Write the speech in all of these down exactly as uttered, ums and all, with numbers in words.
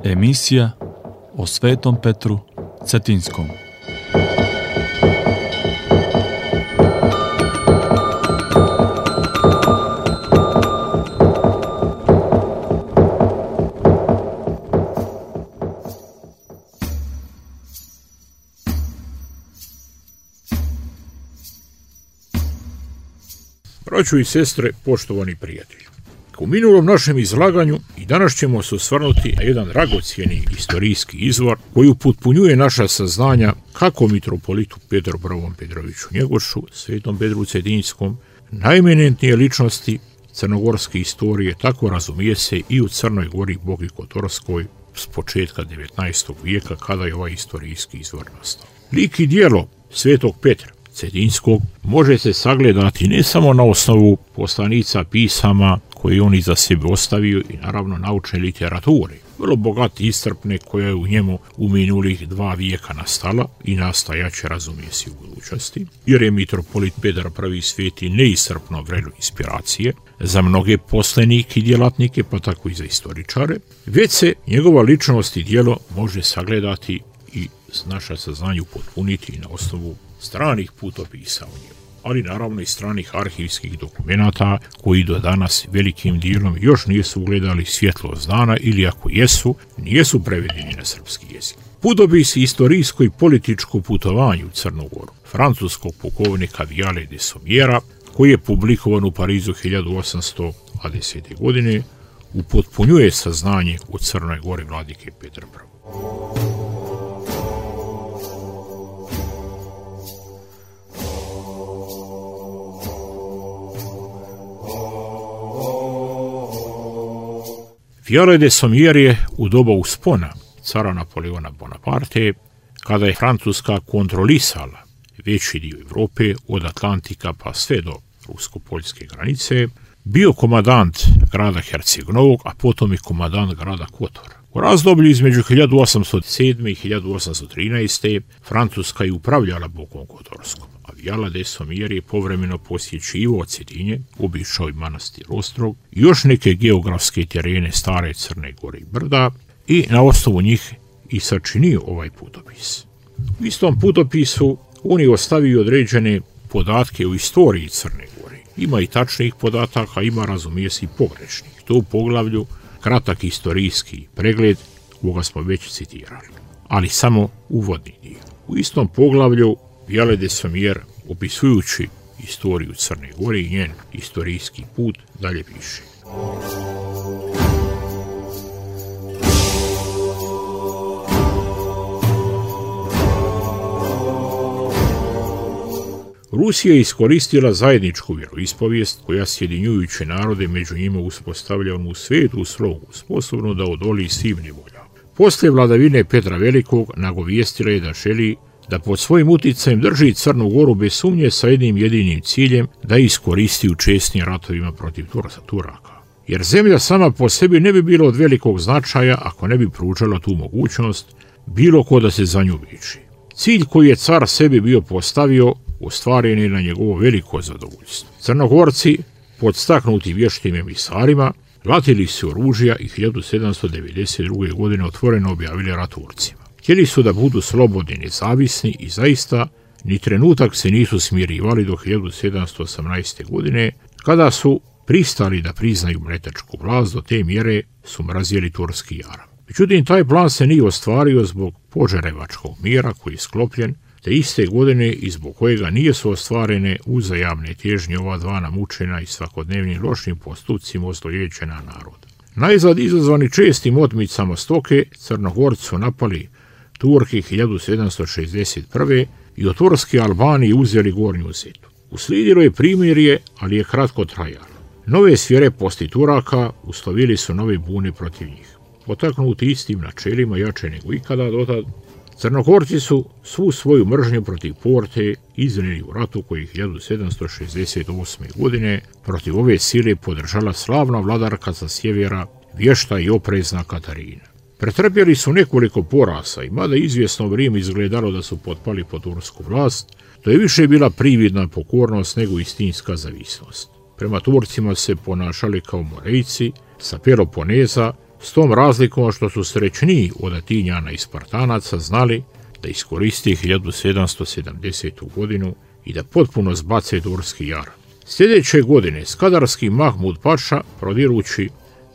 Emisija o Svetom Petru Cetinskom. Braćo i sestre, poštovani prijatelji, u minulom našem izlaganju i danas ćemo se osvrnuti na jedan dragocjeni istorijski izvor koji upotpunjuje naša saznanja kako mitropolitu Petru Prvom Petroviću Njegošu, Svetom Petru Cetinskom, najeminentnije ličnosti crnogorske istorije, tako razumije se i u Crnoj Gori, Boki Kotorskoj, s početka devetnaestog vijeka, kada je ovaj istorijski izvor nastao. Lik i djelo Svetog Petra Cetinskog može se sagledati ne samo na osnovu poslanica, pisama koje on iza sebe ostavio i naravno naučne literature, vrlo bogate i iscrpne, koja je u njemu u minulih dva vijeka nastala i nastajaće, razumije se, u budućnosti, jer je mitropolit Petar Prvi Sveti neiscrpno vrelo inspiracije za mnoge poslenike i djelatnike, pa tako i za istoričare, već se njegova ličnost i djelo može sagledati i naša saznanja upotpuniti na osnovu stranih putopisa u njemu, ali naravno i stranih arhivskih dokumenata koji do danas velikim dijelom još nisu ugledali svjetlost dana ili ako jesu, nisu prevedeni na srpski jezik. Putopis istorijsko i političko putovanje u Crnu Goru francuskog pukovnika Viale de Sommiera, koji je publikovan u Parizu hiljadu osamsto dvadesete. godine, upotpunjuje saznanje u Crnoj Gori vladike Petra Prvog. Viale de Sommier je u doba uspona cara Napoleona Bonaparte, kada je Francuska kontrolisala veći dio Evrope od Atlantika pa sve do rusko-poljske granice, bio komandant grada Herceg Novog, a potom i komandant grada Kotor. U razdoblju između hiljadu osamsto sedme. i hiljadu osamsto trinaeste. Francuska je upravljala Bokom Kotorskom, a Viale de Sommier je povremeno posjećivao Cetinje, obišao i manastir Ostrog i još neke geografske terene stare Crne Gore i Brda i na osnovu njih i sačinio ovaj putopis. U istom putopisu on je ostavio određene podatke o istoriji Crne Gore. Ima i tačnih podataka, ima, razumije se, i pogrešnih. To u poglavlju kratak istorijski pregled, koga smo već citirali, ali samo uvodni dio. U istom poglavlju Viale de Sommier, opisujući istoriju Crne Gore i njen istorijski put, dalje piše. Rusija je iskoristila zajedničku vjeroispovijest koja sjedinjujuće narode među njima uspostavlja onu svetu slogu, sposobnu da odoli svim nevoljama. Poslije vladavine Petra Velikog nagovijestila je da želi da pod svojim uticajem drži Crnu Goru bez sumnje sa jednim jedinim ciljem, da iskoristi u česnim ratovima protiv Turaka. Jer zemlja sama po sebi ne bi bila od velikog značaja ako ne bi pružala tu mogućnost bilo ko da se za nju veži. Cilj koji je car sebi bio postavio ostvaren je na njegovo veliko zadovoljstvo. Crnogorci, podstaknuti vještim emisarima, latili su oružja i hiljadu sedamsto devedeset druge. godine otvoreno objavili rat Turcima. Htjeli su da budu slobodni i nezavisni i zaista ni trenutak se nisu smirivali do hiljadu sedamsto osamnaeste. godine, kada su pristali da priznaju mletačku vlast. Do te mjere su mrazili turski jaram. Međutim, taj plan se nije ostvario zbog Požarevačkog mira koji je sklopljen te iste godine i zbog kojega nisu ostvarene uzajamne težnje ova dva namučena i svakodnevnim lošim postupcima ozlojeđena naroda. Najzad izazvani čestim otmicama stoke, Crnogorci su napali Turki hiljadu sedamsto šezdeset prve. i od Turske Albanije uzeli Gornju Zetu. Uslijedilo je primirje, ali je kratko trajalo. Nove svjereposti Turaka uslovili su nove bune protiv njih. Potaknuti istim načelima, jače nego ikada dotad, Crnogorci su svu svoju mržnju protiv Porte iznijeli u ratu koji hiljadu sedamsto šezdeset osme. godine protiv ove sile podržala slavna vladarka sa sjevera, vješta i oprezna Katarina. Pretrpjeli su nekoliko porasa i mada izvjesno vrijeme izgledalo da su potpali pod tursku vlast, to je više bila prividna pokornost nego istinska zavisnost. Prema Turcima se ponašali kao Morejci sa Peloponeza s tom razlikom što su srećniji od Atinjana i Spartanaca znali da iskoriste hiljadu sedamsto sedamdesetu. godinu i da potpuno zbace turski jar. Sljedeće godine skadarski Mahmud Paša, prodirući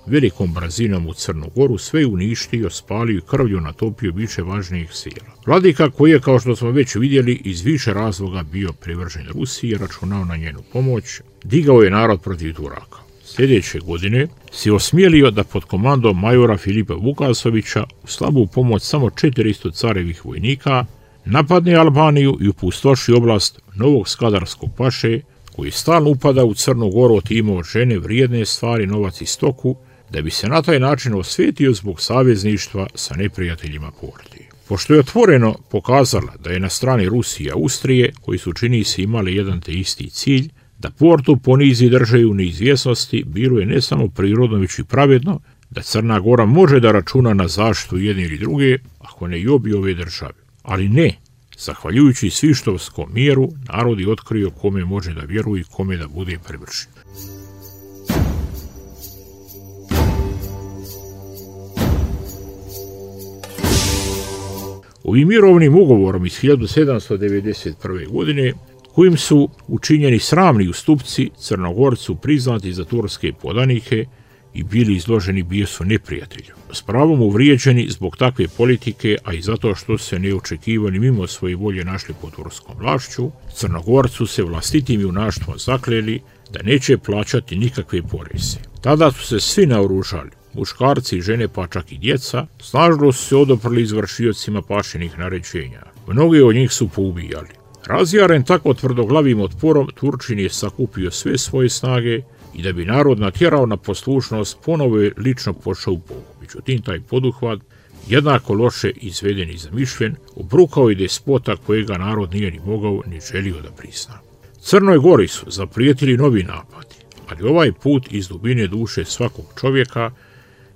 velikom brzinom u Crnu Goru, sve uništio, spalio i krvlju natopio više važnijih sila. Vladika koji je, kao što smo već vidjeli, iz više razloga bio privržen Rusiji, računao na njenu pomoć, digao je narod protiv Turaka. Sljedeće godine se osmijelio da pod komandom majora Filipa Vukasovića u slabu pomoć samo četiristo carevih vojnika napadne Albaniju i opustoši oblast novog skadarskog paše, koji stalno upada u Crnu Goru, otimao žene, vrijedne stvari, novac i stoku, da bi se na taj način osvetio zbog savezništva sa neprijateljima Porti. Pošto je otvoreno pokazala da je na strani Rusije i Austrije, koji su čini se imali jedan te isti cilj, da Portu ponizi držaju u neizvjesnosti, bilo je ne samo prirodno, već i pravedno da Crna Gora može da računa na zaštitu jedne ili druge, ako ne i obje ove države. Ali ne, zahvaljujući svištovskom miru, narod je otkrio kome može da vjeruje i kome da bude privršen. Ovim mirovnim ugovorom iz hiljadu sedamsto devedeset prve. godine, kojim su učinjeni sramni ustupci Crnogorcu priznati za turske podanike i bili izloženi bijesu neprijatelju. S pravom uvrijeđeni zbog takve politike, a i zato što se neočekivani mimo svoje volje našli pod turskom vlašću, Crnogorcu se vlastitim junaštvom zakleli da neće plaćati nikakve poreze. Tada su se svi naoružali, muškarci, žene pa čak i djeca, snažno su se odoprli izvršiocima pašinih naređenja. Mnogi od njih su poubijali. Razjaren tako tvrdoglavim otporom, Turčin je sakupio sve svoje snage i da bi narod natjerao na poslušnost, ponovo je lično pošao u pogu. Međutim, taj poduhvat, jednako loše izveden i zamišljen, obrukao i despota kojega narod nije ni mogao ni želio da prizna. Crnoj Gori su zaprijetili novi napadi, ali ovaj put iz dubine duše svakog čovjeka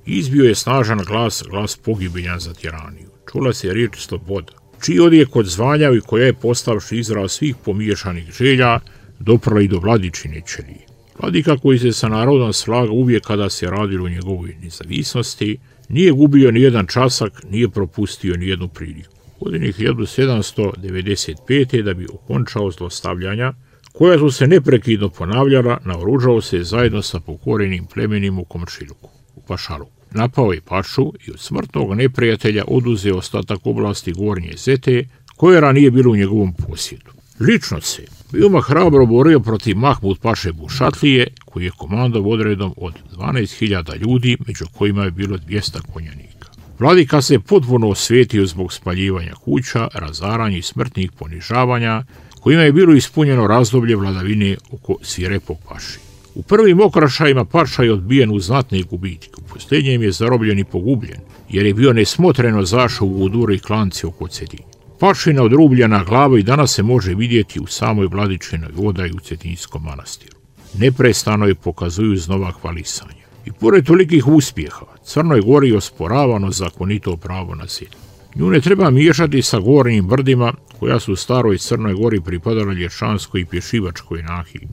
izbio je snažan glas, glas pogibljan za tiraniju. Čula se riječ sloboda, čiji odjek odzvanja i koja je postavši izraz svih pomiješanih želja doprla i do Vladičine ćelije. Vladika koji se sa narodom slaga uvijek kada se radilo o njegovoj nezavisnosti, nije gubio ni jedan časak, nije propustio ni jednu priliku. U godini hiljadu sedamsto devedeset pete. da bi okončao zlostavljanja, koja su se neprekidno ponavljala, naoružao se zajedno sa pokorenim plemenima u Komšiluku, u Pašaluku. Napao je Pašu i od smrtnog neprijatelja oduzeo ostatak oblasti Gornje Zete, koje ranije bilo u njegovom posjedu. Lično se veoma hrabro borio protiv Mahmud Paše Bušatlije, koji je komandovao odredom od dvanaest hiljada ljudi, među kojima je bilo dvjesto konjanika. Vladika se potpuno osvetio zbog spaljivanja kuća, razaranja i smrtnih ponižavanja, kojima je bilo ispunjeno razdoblje vladavine oko svirepog Paši. U prvim okrašajima Paša je odbijen u znatne gubitke, u posljednjem je zarobljen i pogubljen, jer je bio nesmotreno zašao u udure i klance oko Cetinja. Pašina odrubljena glava i danas se može vidjeti u samoj Vladičinoj odaji u Cetinjskom manastiru. Neprestano je pokazuju znova hvalisanja. I pored tolikih uspjeha, Crnoj Gori je osporavano zakonito pravo na zemlju. Nju ne treba miješati sa gornjim brdima, koja su u staroj Crnoj Gori pripadala Lješanskoj i Pješivačkoj nahiji.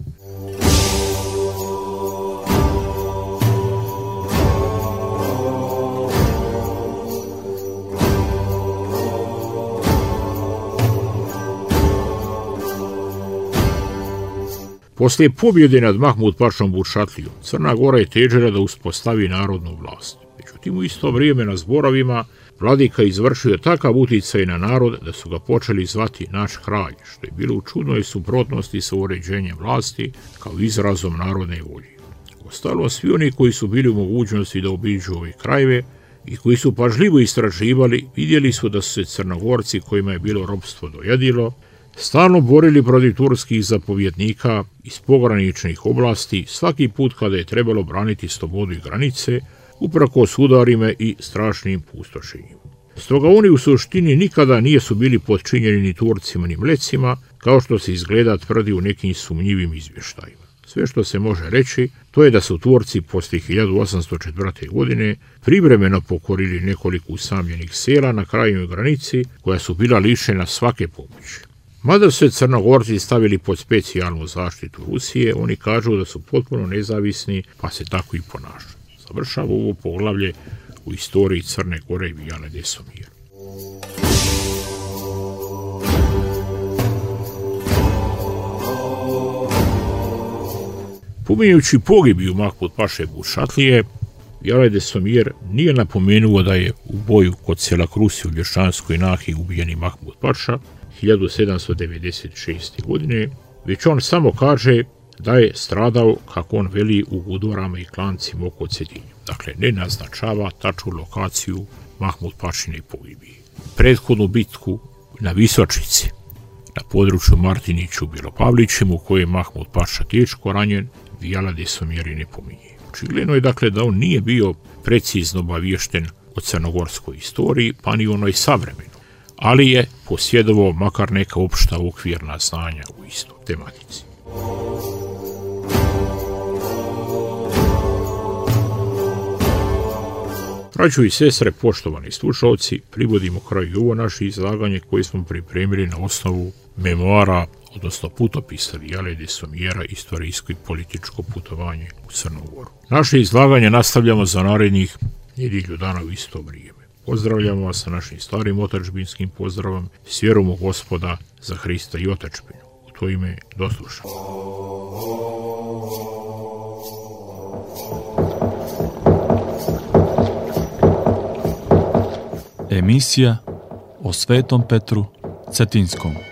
Poslije pobjede nad Mahmud Pašom Bušatlijom, Crna Gora je težila da uspostavi narodnu vlast. Međutim, u isto vrijeme na zborovima vladika izvršio takav utjecaj na narod da su ga počeli zvati naš kralj, što je bilo u čudnoj suprotnosti sa uređenjem vlasti kao izrazom narodne volje. Ostalo, svi oni koji su bili u mogućnosti da obiđu ove krajeve i koji su pažljivo istraživali, vidjeli su da su se Crnogorci, kojima je bilo ropstvo dojadilo, stalno borili protiv turskih zapovjednika iz pograničnih oblasti svaki put kada je trebalo braniti slobodu i granice, uprkos udarima i strašnim pustošenjima. Stoga oni u suštini nikada nisu bili podčinjeni ni Turcima ni Mlecima, kao što se izgleda tvrdi u nekim sumnjivim izvještajima. Sve što se može reći, to je da su Turci poslije hiljadu osamsto četvrte. godine privremeno pokorili nekoliko usamljenih sela na krajnjoj granici, koja su bila lišena svake pomoći. Mada su se Crnogorci stavili pod specijalnu zaštitu Rusije, oni kažu da su potpuno nezavisni, pa se tako i ponašaju. Završava ovo poglavlje u istoriji Crne Gore i Vijale de Sommière. Pominjući pogibiju Mahmud Paše Bušatlije, Vijale de Sommière nije napomenuo da je u boju kod sela Krusi u Lješanskoj Nahiji ubijeni Mahmud Paša hiljadu sedamsto devedeset šeste. godine, već on samo kaže da je stradao, kako on veli, u Gudorama i klancima oko Cetinja. Dakle, ne naznačava tačnu lokaciju Mahmud Pašine pogibije. Prethodnu bitku na Visočici, na području Martiniću Bilopavlićem, u kojoj je Mahmud Paša teško ranjen, Vijale de Sommière ne pominje. Očigledno je dakle da on nije bio precizno obaviješten o crnogorskoj istoriji, pa ni onoj savremenoj, ali je posjedovao makar neka opšta okvirna znanja u istoj tematici. Braćo i sestre, poštovani slušalci, privodimo kraju ovo naše izlaganje koje smo pripremili na osnovu memoara, odnosno putopisa Vijale de Sommière, istorijsko i političko putovanje u Crnu Goru. Naše izlaganje nastavljamo za narednih nedjelju dana u isto vrijeme. Pozdravljamo vas sa našim starim otadžbinskim pozdravom, s vjerom u Gospoda za Hrista i otadžbinu. U to ime do slušanja. Emisija o Svetom Petru Cetinskom.